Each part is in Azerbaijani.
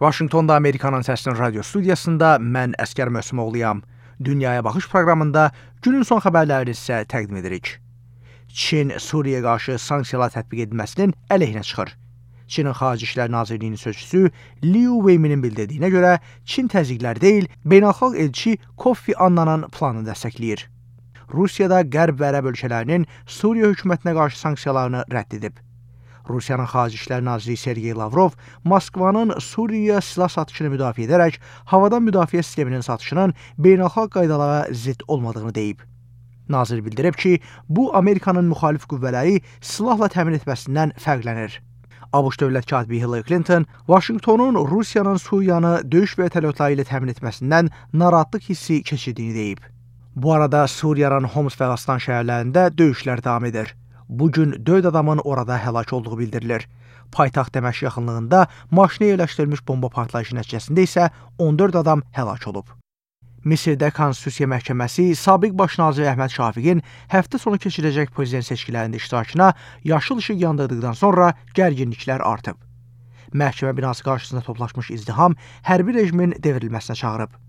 Vaşinqtonda Amerikanın Səsinin radio studiyasında mən Əskər Möhsümoğluyam. Dünyaya Baxış proqramında günün son xəbərlərini sizə təqdim edirik. Çin Suriyaya qarşı sanksiyalar tətbiq edilməsinin əleyhinə çıxır. Çinin Xarici İşlər Nazirliyinin sözçüsü Liu Weiminin bildirdiyinə görə Çin təzyiqlər deyil, beynəlxalq elçi Kofi Annanın planını dəstəkləyir. Rusiyada Qərb və Ərəb ölkələrinin Suriya hökumətinə qarşı sanksiyalarını rədd edib. Rusiyanın Xarici İşlər Naziri Sergey Lavrov Moskvanın Suriyaya silah satışını müdafiə edərək havadan müdafiə sisteminin satışının beynəlxalq qaydalara zidd olmadığını deyib. Nazir bildirib ki, bu Amerikanın müxalif qüvvələri silahla təmin etməsindən fərqlənir. ABŞ dövlət katibi Hillary Clinton Vaşinqtonun Rusiyanın Suriyanı döyüş vertolyotları ilə təmin etməsindən narahatlıq hissi keçirdiyini deyib. Bu arada Suriyanın Homs və Aslan şəhərlərində döyüşlər davam edir. Bugün 4 adamın orada həlak olduğu bildirilir. Paytaxt Dəməşq yaxınlığında maşına yerləşdirilmiş bomba partlayışı nəticəsində isə 14 adam həlak olub. Misirdə Konstitusiya Məhkəməsi sabiq baş nazir Əhməd Şafiqin həftə sonu keçiriləcək prezident seçkilərində iştirakına yaşıl işıq yandırdıqdan sonra gərginliklər artıb. Məhkəmə binası qarşısında toplaşmış izdiham hərbi rejimin devrilməsinə çağırıb.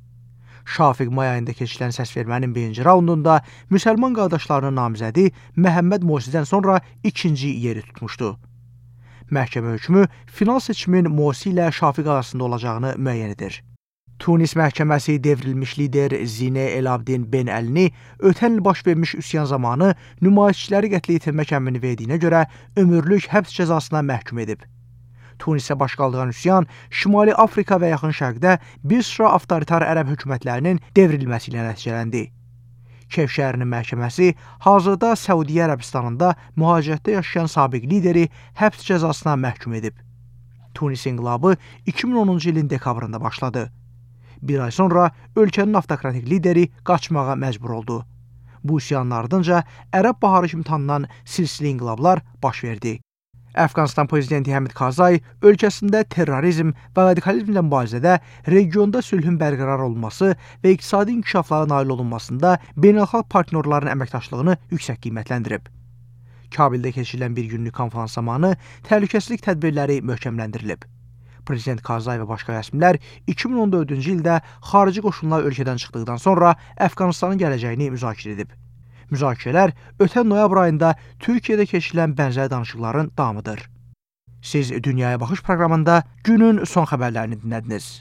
Şafiq may ayında keçirilən səsvermənin birinci raundunda müsəlman qardaşlarının namizədi Məhəmməd Morsidən sonra ikinci yeri tutmuşdu. Məhkəmə hökmü final seçimin Morsi ilə Şafiq arasında olacağını müəyyən edir. Tunis məhkəməsi devrilmiş lider Zine El Abdin Ben Əlini ötən il baş vermiş üsyan zamanı nümayişçiləri qətlə yetirmək əmrini verdiyinə görə ömürlük həbs cəzasına məhkum edib. Tunisə baş qaldıran üsyan Şimali Afrika və Yaxın Şərqdə bir sıra avtoritar ərəb hökumətlərinin devrilməsi ilə nəticələndi. Kef şəhərinin məhkəməsi hazırda Səudiyyə Ərəbistanında mühacirətdə yaşayan sabiq lideri həbs cəzasına məhkum edib. Tunis inqilabı 2010-cu ilin dekabrında başladı. Bir ay sonra ölkənin avtokratik lideri qaçmağa məcbur oldu. Bu üsyanın ardınca Ərəb baharı kimi tanınan silsilə inqilablar baş verdi. Əfqanistan prezidenti Həmid Karzai ölkəsində terrorizm və radikalizmlə mübarizədə regionda sülhün bərqərar olunması və iqtisadi inkişaflara nail olunmasında beynəlxalq partnyorların əməkdaşlığını yüksək qiymətləndirib. Kabildə keçirilən bir günlük konferans zamanı təhlükəsizlik tədbirləri möhkəmləndirilib. Prezident Karzai və başqa rəsmilər 2014-cü ildə xarici qoşunlar ölkədən çıxdıqdan sonra Əfqanistanın gələcəyini müzakirə edib. Müzakirələr ötən noyabr ayında Türkiyədə keçirilən bənzər danışıqların davamıdır. Siz Dünyaya Baxış proqramında günün son xəbərlərini dinlədiniz.